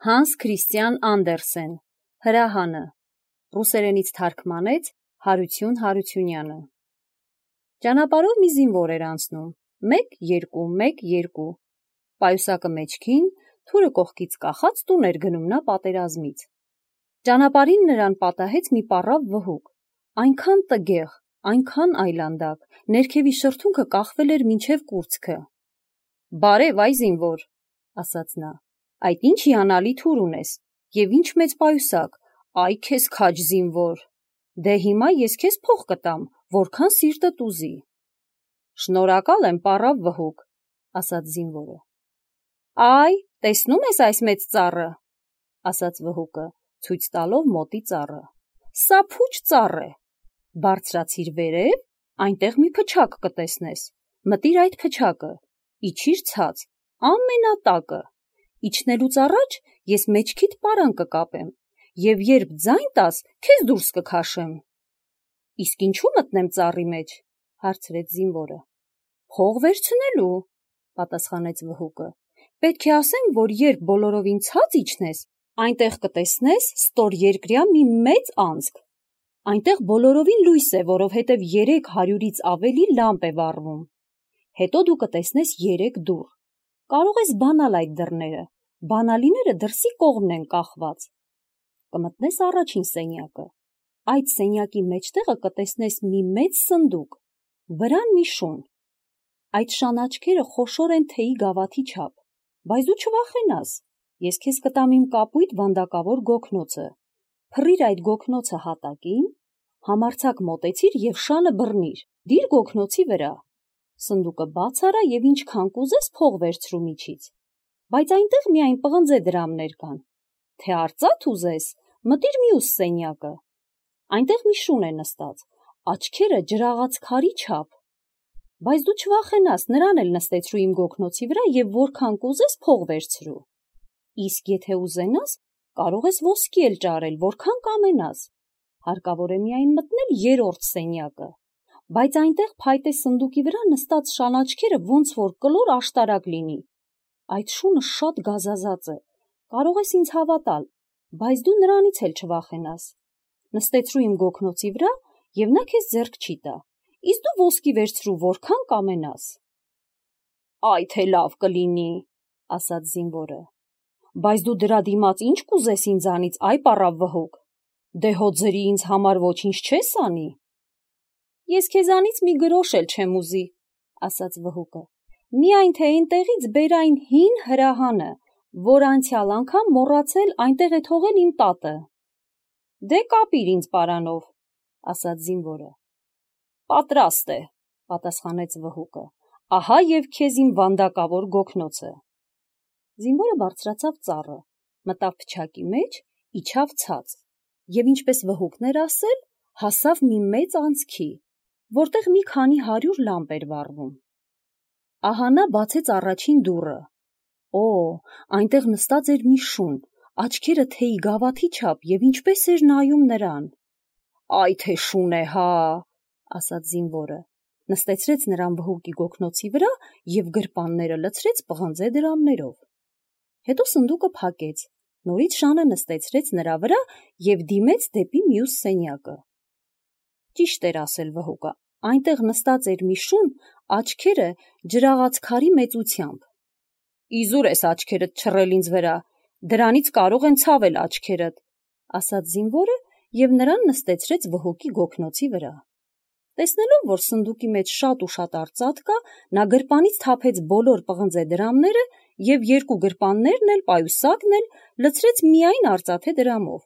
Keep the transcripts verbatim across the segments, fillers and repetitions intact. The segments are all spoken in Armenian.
Հանս Քրիստիան Անդերսեն, Հրահանը, ռուսերենից թարգմանեց Հարություն Հարությունյանը։ Ճանապարհով մի զինվոր էր անցնում, մեկ, երկու, մեկ, երկու, պայուսակը մեջքին, թուրը կողքից կախած տուն էր գնում նա պատերազմից։ Ճանապարհին նրան պատահեց մի պառավ վհուկ, այնքան տգեղ, այնքան այլանդակ, ներքևի շրթունքը կախվել էր մինչև կուրծքը։ «Բարև, այ զինվոր», ասաց նա, «այդ ինչ հիանալի թուր ունես, և ինչ մեծ պայուսակ, այ քեզ քաջ զինվոր, դե հիմա ես քեզ փող կտամ, որքան սիրտդ ուզի»։ «Շնորհակալ եմ, պառավ վհուկ», ասաց զինվորը։ «Այ, տեսնում ես այս մեծ ծառը», ասաց վհուկը, ցույց տալով մոտի ծառը։ «Սա փուչ ծառ է, բարձրացիր վերև, այնտեղ մի փչակ կտեսնես, մտիր այդ փչակը, իջիր ցած, ամենատակը, իջնելուց առաջ ես մեջքիդ պարան կկապեմ, և երբ ձայն տաս, քեզ դուրս կքաշեմ»։ «Իսկ ինչու մտնեմ ծառի մեջ», հարցրեց զինվորը։ «Փող վերցնելու», պատասխանեց վհուկը։ «Պետք է ասեմ, որ երբ բոլորովին ցած իջնես, այնտեղ կտեսնես ստորերկրյա մի մեծ անցք, այնտեղ բոլորովին լույս է, որովհետև երեք հարյուրից ավելի լամպ է վառվում, հետո դու կտեսնես երեք դուռ, կարող ես բանալ այդ դռները, բանալիները դրսի կողմն են կախված, կմտնես առաջին սենյակը, այդ սենյակի մեջտեղը կտեսնես մի մեծ սնդուկ, վրան մի շուն, այդ շան աչքերը խոշոր են թեյի գավաթի չափ, բայց դու չվախենաս, ես քեզ կտամ իմ կապույտ վանդակավոր գոգնոցը, փռիր այդ գոգնոցը հատակին, համարձակ մոտեցիր և շանը բռնիր, դիր գոգնոցի վրա, սնդուկը բաց արա և ինչքան կուզես փող վերցրու միջից, բայց այնտեղ միայն պղնձե դրամներ կան, թե արծաթ ուզես, մտիր մյուս սենյակը, այնտեղ մի շուն է նստած, աչքերը ջրաղաց քարի չափ, բայց դու չվախենաս, նրան էլ նստեցրու իմ գոգնոցի վրա և որքան կուզես փող վերցրու, իսկ եթե ուզենաս, կարող ես ոսկի էլ ճարել, որքան կամենաս, հարկավոր է միայն մտնել երրորդ սենյակը, բայց այնտեղ փայտե սնդուկի վրա նստած շան աչքերը ոնց որ կլոր աշտարակ լինի, այդ շունը շատ գազազած է, կարող ես ինձ հավատալ, բայց դու նրանից էլ չվախենաս, նստեցրու իմ գոգնոցի վրա և նա քեզ ձեռք չի տա, իսկ դու ոսկի վերցրու որքան կամենաս։ «Այ թե լավ կլինի», ասաց զինվորը, «բայց դու դրա դիմաց ինչ կուզես ինձանից, այ պառավ վհուկ, դե հո ձրի ինձ համար ոչինչ չես անի»։ «Ես քեզանից մի գրոշ էլ չեմ ուզի», ասաց վհուկը, «միայն թե այնտեղից բեր այն հին հրահանը, որ անցյալ անգամ մոռացել այնտեղ է թողել իմ տատը»։ «Դե կապիր ինձ պարանով», ասաց զինվորը։ «Պատրաստ է», պատասխանեց վհուկը, «ահա և քեզ իմ վանդակավոր գոգնոցը»։ Զինվորը բարձրացավ ծառը, մտավ փչակի մեջ, իջավ ցած, և ինչպես վհուկն էր ասել, հասավ մի մեծ անցքի, որտեղ մի քանի հարյուր լամպ էր վառվում։ Ահա նա բացեց առաջին դուռը։ Օ, այնտեղ նստած էր մի շուն, աչքերը թեյի գավաթի չափ և ինչպես էր նայում նրան։ «Այ թե շուն է, հա», ասաց զինվորը, նստեցրեց նրան վհուկի գոգնոցի վրա և գրպանները լցրեց պղնձե դրամներով։ Հետո սնդուկը փակեց, նորից շանը նստեցրեց նրա վրա և դիմեց դեպի մյուս սենյակը։ Ճիշտ էր ասել վհուկը, այնտեղ նստած էր մի շուն, աչքերը ջրաղաց քարի մեծությամբ։ «Իզուր ես աչքերդ չռել ինձ վրա, դրանից կարող են ցավել աչքերդ», ասաց զինվորը և նրան նստեցրեց վհուկի գոգնոցի վրա։ Տեսնելով, որ սնդուկի մեջ շատ ու շատ արծաթ կա, նա գրպանից թափեց բոլոր պղնձե դրամները և երկու գրպաններն էլ, պայուսակն էլ լցրեց միայն արծաթե դրամով,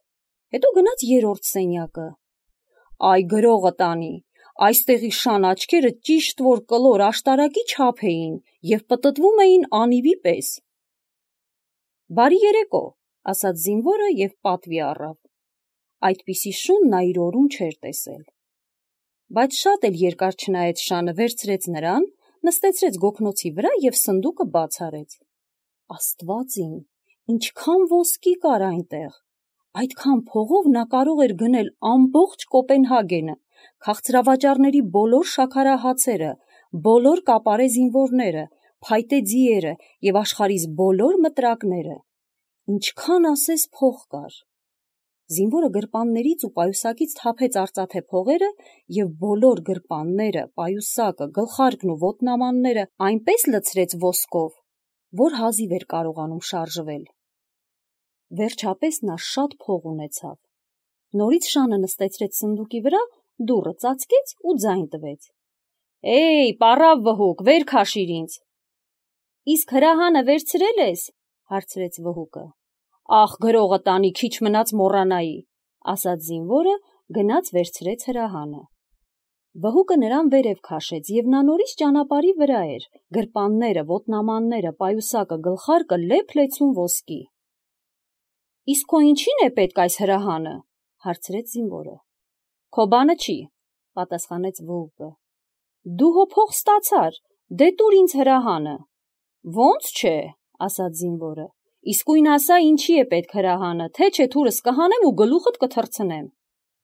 հետո գնաց երրորդ սենյակը։ «Այ գրողը տանի, այստեղի շան աչքերը ճիշտ որ կլոր աշտարակի չափ էին և պտտվում էին անիվի պես»։ «Բարի երեկո», ասաց զինվորը և պատվի առավ։ Այդպիսի շուն նա իր օրում չէր տեսել։ Բայց շատ էլ երկար չնայեց շանը, վերցրեց նրան, նստեցրեց գոգնոցի վրա և սնդուկը բաց արեց։ Աստված իմ, ինչքան ոսկի կար այնտեղ, այդքան փողով նա կարող էր գնել ամբողջ Կոպենհագենը, քաղցրավաճառների բոլոր շաքարահացերը, բոլոր կապարե զինվորները, փայտե ձիերը և աշխարհիս բոլոր մտրակները։ ինչքան ասես փող կար։ Զինվորը գրպաններից ու պայուսակից թափեց արծաթե փողերը և բոլոր գրպանները, պայուսակը, գլխարկն ու ոտնամանները այնպես լցրեց ոսկով, որ հազիվ էր կարողանում շարժվել։ Վերջապես նա շատ փող ունեցավ։ Նորից շանը նստեցրեց սնդուկի վրա, դուռը ծածկեց ու ձայն տվեց. «Էй, պառավ վհուկ, վեր քաշիր ինձ»։ «Իսկ հրահանը վերցրել ես»։ հարցրեց վհուկը։ «Ախ, գրողը տանի, քիչ մնաց մոռանայի», ասաց զինվորը, գնաց վերցրեց հրահանը։ Վհուկը նրան վերև քաշեց, և նա նորից ճանապարհի վրա էր, գրպանները, ոտնամանները, պայուսակը, գլխարկը լեփ-լեցուն ոսկի։ «Իսկ քո ինչի՞ն է պետք այս հրահանը», հարցրեց զինվորը։ «Քո բանը չի», պատասխանեց վհուկը։ «Դու հո փող ստացար, դե տուր ինձ հրահանը»։ «Ոնց չէ», ասաց զինվորը, «իսկույն ասա ինչի է պետք հրահանը, թե չէ թուրս կհանեմ ու գլուխդ կթռցնեմ»։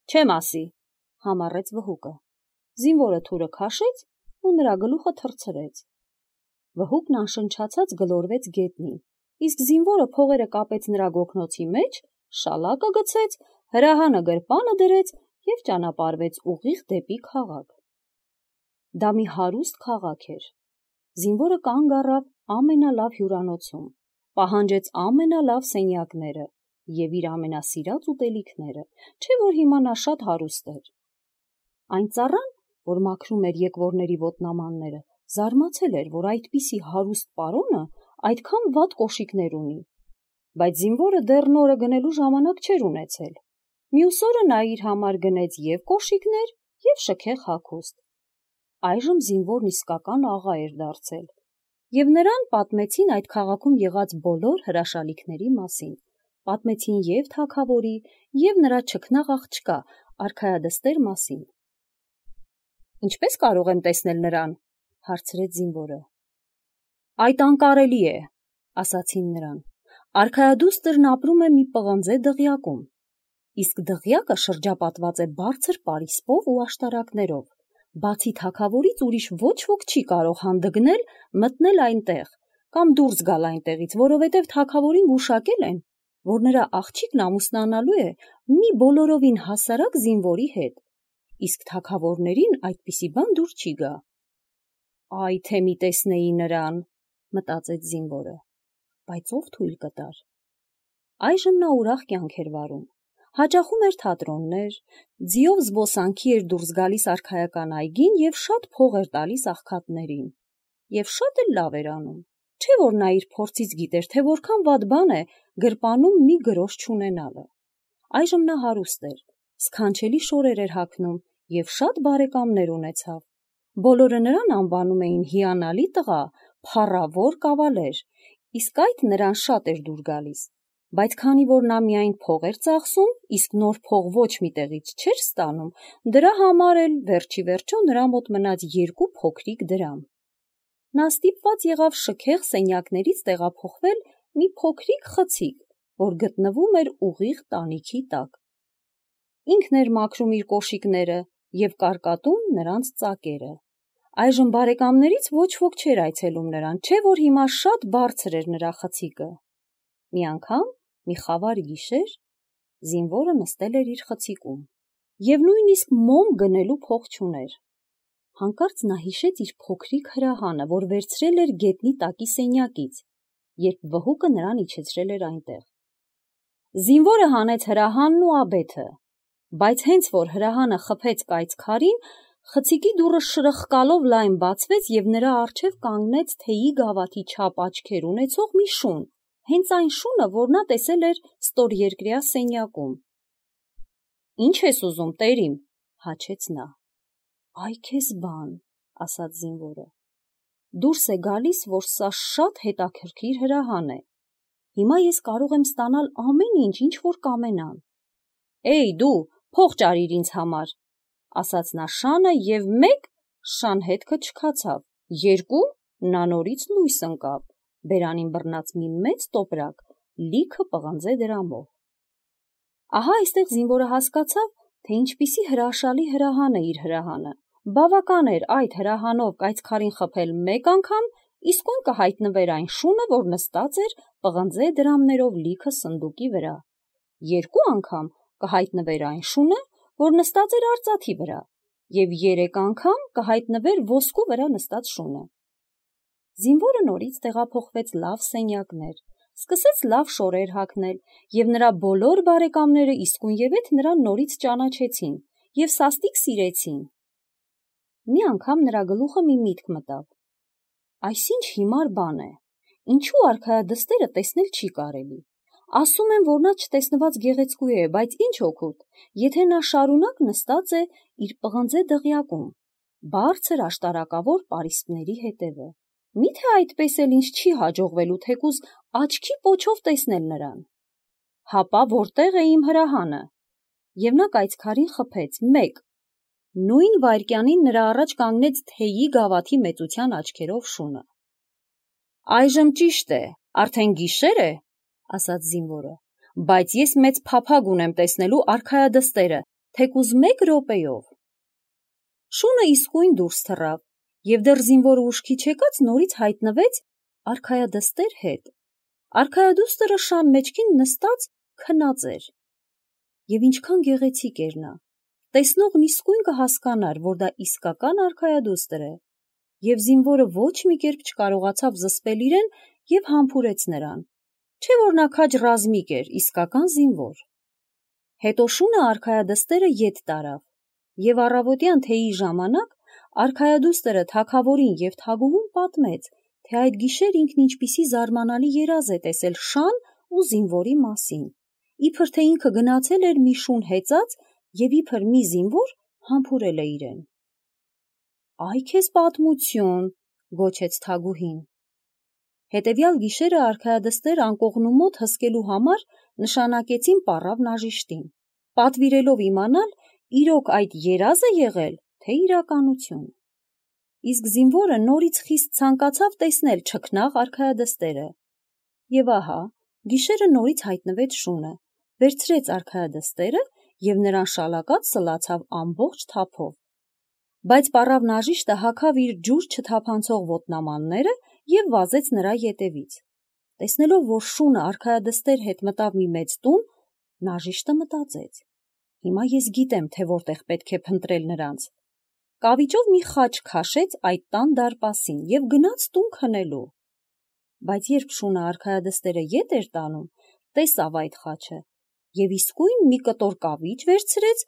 «Չեմ ասի», համառեց վհուկը։ Զինվորը թուրը քաշեց ու նրա գլուխը թռցրեց։ Վհուկն անշնչացած գլորվեց գետնին, իսկ զինվորը փողերը կապեց նրա գոգնոցի մեջ, շալակը գցեց, հրահանը գրպանը դրեց և ճանապարհվեց ուղիղ դեպի քաղաք։ Դա մի հարուստ քաղաք էր։ Զինվորը կանգ առավ ամենալավ հյուրանոցում, պահանջեց ամենալավ սենյակները և իր ամենասիրած ուտելիքները, չէ՞ որ հիմա նա շատ հարուստ էր։ Այն ծառան, որ մաքրում էր եկվորների ոտնամանները, զարմացել էր, որ այդպիսի հարուստ պարոնը այդքան վատ կոշիկներ ունի, բայց զինվորը դեռ նորը գնելու ժամանակ չէր ունեցել։ Մյուս օրը նա իր համար գնեց և կոշիկներ, և շքեղ հագուստ։ Այժմ զինվորն իսկական աղա էր դարձել, և նրան պատմեցին այդ քաղաքում եղած բոլոր հրաշալիքների մասին, պատմեցին և թագավորի, և նրա չքնաղ աղջկա արքայադստեր մասին։ «Ինչպե՞ս կարող եմ տեսնել նրան», հարցրեց զինվորը։ «Այդ անկարելի է», ասացին նրան։ «Արքայադուստրն ապրում է մի պղնձե դղյակում, իսկ դղյակը շրջապատված է բարձր պարիսպով ու աշտարակներով, բացի թագավորից ուրիշ ոչ ոք չի կարող հանդգնել մտնել այնտեղ կամ դուրս գալ այնտեղից, որովհետև թագավորին գուշակել են, որ նրա աղջիկն ամուսնանալու է մի բոլորովին հասարակ զինվորի հետ, իսկ թագավորներին այդպիսի բան դուր չի գա»։ «Այ թե մի տեսնեի նրան», մտածեց զինվորը, բայց ով թույլ կտար։ Այժմ նա ուրախ կյանք էր վարում, հաճախում էր թատրոններ, ձիով զբոսանքի էր դուրս գալիս արքայական այգին և շատ փող էր տալիս աղքատներին, և շատ էլ լավ էր անում, չէ՞ որ նա իր փորձից գիտեր, թե որքան վատ բան է գրպանում մի գրոշ չունենալը։ Այժմ նա հարուստ էր, սքանչելի շորեր էր հագնում և շատ բարեկամներ ունեցավ։ Բոլորը նրան անվանում էին հիանալի տղա, փառավոր կավալեր, իսկ այդ նրան շատ էր դուր գալիս, բայց քանի որ նա միայն փող էր ծախսում, իսկ նոր փող ոչ մի տեղից չէր ստանում, դրա համար էլ վերջիվերջո նրա մոտ մնաց երկու փոքրիկ դրամ։ Նա ստիպված եղավ շքեղ սենյակներից տեղափոխվել մի փոքրիկ խցիկ, որ գտնվում էր ուղիղ տանիքի տակ։ Ինքն էր մաքրում իր կոշիկները և կարկատում նրանց ծակերը։ Այժմ բարեկամներից ոչ ոք չէր այցելում նրան, չէ՞ որ հիմա շատ բարձր էր նրա խցիկը։ Մի անգամ, մի խավար գիշեր, զինվորը նստել էր իր խցիկում և նույնիսկ մոմ գնելու փող չուներ։ Հանկարծ նա հիշեց իր փոքրիկ հրահանը, որ վերցրել էր գետնի տակի սենյակից, երբ վհուկը նրան իջեցրել էր այնտեղ։ Զինվորը հանեց հրահանն ու աբեթը, բայց հենց որ հրահանը խփեց կայծ քարին, խցիկի դուռը շրխկալով լայն բացվեց և նրա առջև կանգնեց թեյի գավաթի չափ աչքեր ունեցող մի շուն, հենց այն շունը, որ նա տեսել էր ստորերկրյա սենյակում։ «Ի՞նչ ես ուզում, տերիմ», հաչեց նա։ «Այ քեզ բան», ասաց զինվորը։ «Դուրս է գալիս, որ սա շատ հետաքրքիր հրահան է։ Հիմա ես կարող եմ ստանալ ամեն ինչ, ինչ որ կամենամ»։ «Էй, դու, փող ճարիր ինձ համար», ասաց նա շանը, և մեկ շան հետքը չքացավ, երկու նա նորից լույս ընկավ, բերանին բռնած մի մեծ տոպրակ, լիքը պղնձե դրամով։ Ահա այստեղ զինվորը հասկացավ, թե ինչպիսի հրաշալի հրահան է իր հրահանը։ Բավական էր այդ հրահանով կայծ քարին խփել մեկ անգամ, իսկույն կհայտնվեր այն շունը, որ նստած էր պղնձե դրամներով լիքը սնդուկի վրա, երկու անգամ կհայտնվեր այն շունը, որ նստած էր արծաթի վրա, և երեք անգամ կհայտնվեր ոսկու վրա նստած շունը։ Զինվորը նորից տեղափոխվեց լավ սենյակներ, սկսեց լավ շորեր հագնել, և նրա բոլոր բարեկամները իսկույնևեթ նրան նորից ճանաչեցին և սաստիկ սիրեցին։ Մի անգամ նրա գլուխը մի միտք մտավ. այսինչ հիմար բան է, ինչու արքայադստերը տեսնել չի կարելի։ Ասում են, որ նա չտեսնված գեղեցկու է, բայց ինչ օգուտ, եթե նա շարունակ նստած է իր պղնձե դղյակում, բարձր աշտարակավոր պարիսպների հետևը։ Միթե այդպես էլ ինձ չի հաջողվելու թեկուզ աչքի պոչով տեսնել նրան։ Հապա որտեղ է իմ հրահանը։ Եվ նա կայծքարին խփեց մեկ։ Նույն վայրկյանին նրա առաջ կանգնեց թեյի գավաթի մեծության աչքերով շունը։ Այժմ ճիշտ է, արդեն գիշեր է, ասաց զինվորը, բայց ես մեծ փափագ ունեմ տեսնելու արքայադստերը, թեկուզ մեկ րոպեով։ Շունը իսկույն դուրս թռավ, և դեռ զինվորը ուշքի չեկած նորից հայտնվեց արքայադստեր հետ։ Արքայադուստրը շան մեջքին նստած քնած էր։ Եվ ինչքան գեղեցիկ էր նա, տեսնողն իսկույն կհասկանար, որ դա իսկական արքայադուստր է, և զինվորը ոչ մի կերպ չկարողացավ զսպել իրեն և համբուրեց նրան, չէ որ նա քաջ ռազմիկ էր, իսկական զինվոր։ Հետո շունը արքայադստերը ետ տարավ, և առավոտյան թեյի ժամանակ արքայադուստրը թագավորին և թագուհուն պատմեց, թե այդ գիշեր ինքն ինչպիսի զարմանալի երազ է տեսել շան ու զինվորի մասին, իբր թե ինքը գնացել էր մի շուն հեծած և իբր մի զինվոր համբուրել է իրեն։ Այ քեզ պատմություն, գոչեց թագուհին։ Հետևյալ գիշերը արքայադստեր անկողնու մոտ հսկելու համար նշանակեցին պառավ նաժիշտին, պատվիրելով իմանալ իրոք այդ երազ է եղել, թե իրականություն։ Իսկ զինվորը նորից խիստ ցանկացավ տեսնել չքնաղ արքայադստերը։ Եվ ահա, գիշերը նորից հայտնվեց շունը, վերցրեց արքայադստերը և նրան շալակած սլացավ ամբողջ թափով։ Բայց պառավ նաժիշտը հագավ իր ջուր չթափանցող ոտնամանները և վազեց նրա ետևից։ Տեսնելով, որ շունը արքայադստեր հետ մտավ մի մեծ տուն, նաժիշտը մտածեց. հիմա ես գիտեմ, թե որտեղ պետք է փնտրել նրանց։ Կավիճով մի խաչ քաշեց այդ տան դարպասին և գնաց տուն քնելու։ Բայց երբ շունը արքայադստերը ետ էր տանում, տեսավ այդ խաչը և իսկույն մի կտոր կավիճ վերցրեց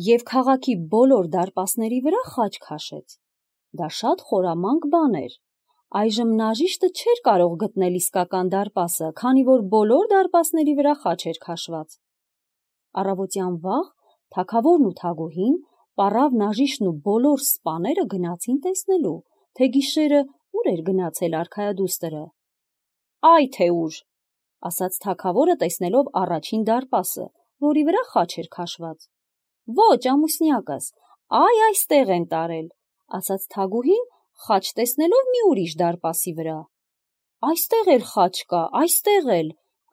և քաղաքի բոլոր դարպասների վրա խաչ քաշեց։ Դա շատ խորամանկ բան էր։ Այժմ նաժիշտը չէր կարող գտնել իսկական դարպասը, քանի որ բոլոր դարպասների վրա խաչ էր քաշված։ Առավոտյան վաղ թագավորն ու թագուհին, պառավ նաժիշտն ու բոլոր սպաները գնացին տեսնելու, թե գիշերը ուր էր գնացել արքայադուստրը։ Այ թե ուր, ասաց թագավորը, տեսնելով առաջին դարպասը, որի վրա խաչ էր քաշված։ Ոչ, ամուսնյակս, այ այստեղ են տարել, ասաց թագուհին, խաչ տեսնելով մի ուրիշ դարպասի վրա։ Այստեղ էլ խաչ կա, այստեղ էլ,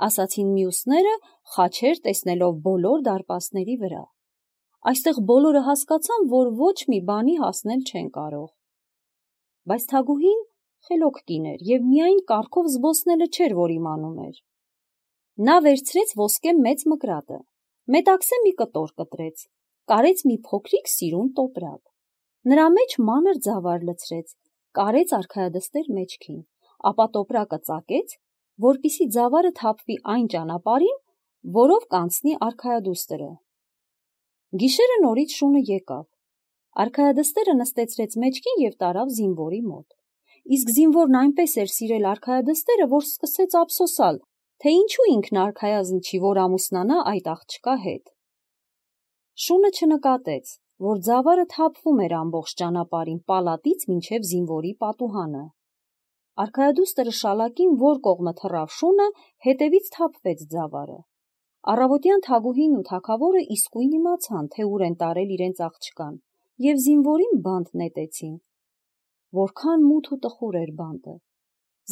ասացին մյուսները, խաչեր տեսնելով բոլոր դարպասների վրա։ Այստեղ բոլորը հասկացան, որ ոչ մի բանի հասնել չեն կարող։ Բայց թագուհին խելոք կին էր և միայն կառքով զբոսնելը չէր, որ իմանում էր։ Նա վերցրեց ոսկե մեծ մկրատը, մետաքսե մի կտոր կտրեց, կարեց մի փոքրիկ սիրուն տոպրակ, նրա մեջ մանր ձավար լցրեց, կարեց արքայադստեր մեջքին, ապա տոպրակը ծակեց, որպեսզի ձավարը թափվի այն ճանապարհին, որով կանցնի արքայադուստրը։ Գիշերը նորից շունը եկավ։ Արքայադստերը նստեցրեց մեջքին և տարավ զինվորի մոտ։ Իսկ զինվորն այնպես էր սիրել արքայադստերը, որ սկսեց ափսոսալ, թե ինչու ինքն արքայազն չի, որ ամուսնանա այդ աղջկա հետ։ Շունը չնկատեց, որ ձավարը թափվում էր ամբողջ ճանապարհին պալատից մինչև զինվորի պատուհանը։ Արքայադուստրը շալակին որ կողմը թռավ շունը, հետևից թափվեց ձավարը։ Առավոտյան թագուհին ու թագավորը իսկույն իմացան, թե ուր են տարել իրենց աղջկան, և զինվորին բանտ նետեցին։ Որքան մութ ու տխուր էր բանտը։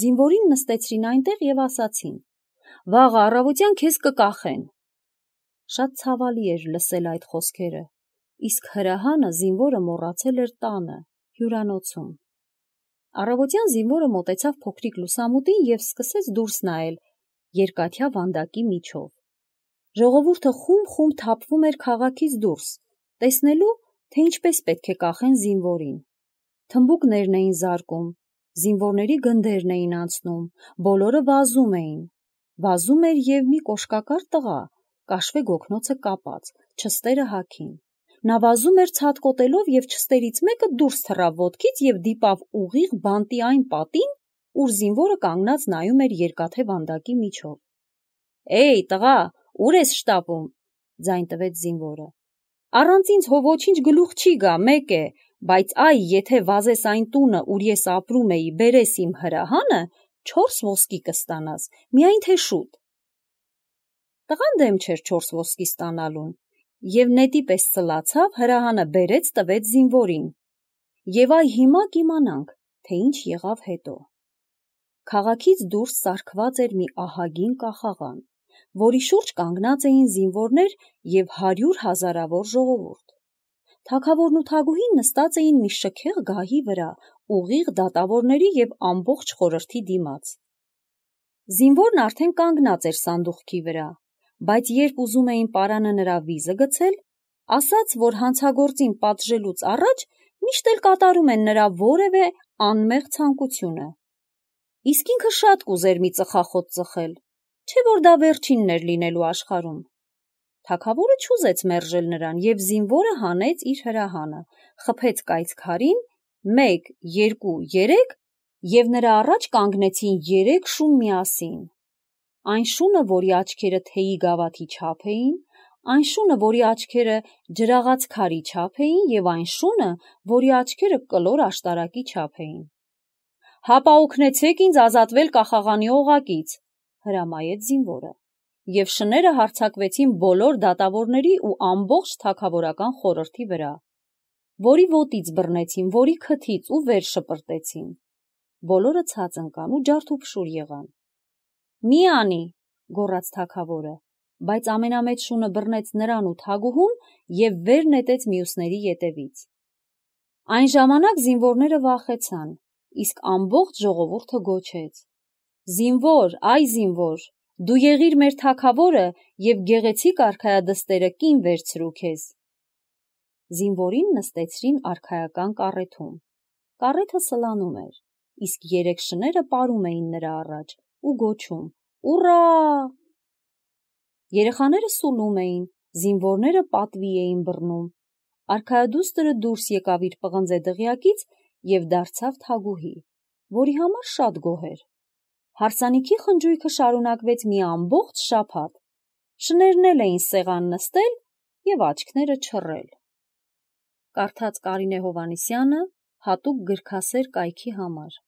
Զինվորին նստեցրին այնտեղ և ասացին. վաղը առավոտյան քեզ կկախեն։ Շատ ցավալի էր լսել այդ խոսքերը, իսկ հրահանը զինվորը մոռացել էր տանը, հյուրանոցում։ Առավոտյան զինվորը մոտեցավ փոքրիկ լուսամուտին և սկսեց դուրս նայել երկաթյա վանդակի միջով։ Ժողովուրդը խումբ-խումբ թափվում էր քաղաքից դուրս, տեսնելու, թե ինչպես պետք է կախեն զինվորին։ Թմբուկներն էին զարկում, զինվորների գնդերն էին անցնում, բոլորը վազում էին։ Վազում էր և մի կոշկակար տղա, կաշվե գոգնոցը կապած, չստերը հագին։ Նա վազում էր ցատկոտելով և չստերից մեկը դուրս թռավ ոտքից և դիպավ ուղիղ բանտի այն պատին, ուր զինվորը կանգնած նայում էր երկաթե վանդակի միջով։ «Էյ, տղա, ուր ես շտապում», ձայն տվեց զինվորը։ «Առանց ինձ հո ոչինչ գլուխ չի գա, մեկ է, բայց այ եթե վազես այն տունը, ուր ես ապրում էի, բերես իմ հրահանը, չորս ոսկի կստանաս, միայն թե շուտ»։ Տղան դեմ չէր չորս ոսկի ստանալուն և նետի պես ցլացավ, հրահանը բերեց տվեց զինվորին։ Եվ այ հիմա կիմանանք, թե ինչ եղավ հետո։ Քաղաքից դուրս սարքված էր մի ահագին կախաղան, որի շուրջ կանգնած էին զինվորներ և հարյուր հազարավոր ժողովուրդ։ Թագավորն ու թագուհին նստած էին մի շքեղ գահի վրա, ուղիղ դատավորների և ամբողջ խորհրդի դիմաց։ Զինվորն արդեն կանգնած էր սանդուղքի վրա, բայց երբ ուզում էին պարանը նրա վիզը գցել, ասաց, որ հանցագործին պատժելուց առաջ միշտ էլ կատարում են նրա որևէ անմեղ ցանկությունը։ Իսկ ինքը շատ կուզեր մի ծխախոտ ծխել, չէ՞ որ դա վերջինն էր լինելու աշխարհում։ Թագավորը չուզեց մերժել նրան, և զինվորը հանեց իր հրահանը, խփեց կայծ քարին, մեկ, երկու, երեք, և նրա առաջ կանգնեցին երեք շուն միասին։ Այն շունը, որի աչքերը թեյի գավաթի չափ էին, այն շունը, որի աչքերը ջրաղաց քարի չափ էին, և այն շունը, որի աչքերը կլոր աշտարակի չափ էին։ «Հապա օգնեցեք ինձ ազատվել կախաղանի օղակից», հրամայեց զինվորը, և շները հարձակվեցին բոլոր դատավորների ու ամբողջ թագավորական խորհրդի վրա, որի ոտից բռնեցին, որի քթից ու վեր շպրտեցին։ Բոլորը ցած ընկան ու ջարդուփշուր եղան։ «Մի անի», գոռաց թագավորը, բայց ամենամեծ շունը բռնեց նրան ու թագուհուն և վեր նետեց մյուսների ետևից։ Այն ժամանակ զինվորները վախեցան, իսկ ամբողջ ժողովուրդը գոչեց. «Զինվոր, այ զինվոր, դու եղիր մեր թագավորը և գեղեցիկ արքայադստերը կին վերցրու քեզ»։ Զինվորին նստեցրին արքայական կառեթում։ Կառեթը սլանում էր, իսկ երեք շները պարում էին նրա առաջ ու գոչում. «Ուռա»։ Երեխաները սուլում էին, զինվորները պատվի էին բռնում։ Արքայադուստրը դուրս եկավ իր պղնձե դղյակից և դարձավ թագուհի, որի համար շատ գոհ էր։ Հարսանիքի խնջույքը շարունակվեց մի ամբողջ շաբաթ, շներն էլ էին սեղան նստել և աչքները չռել։ Կարդաց Կարինե Հովհաննիսյանը հատուկ գրքասեր կայքի համար։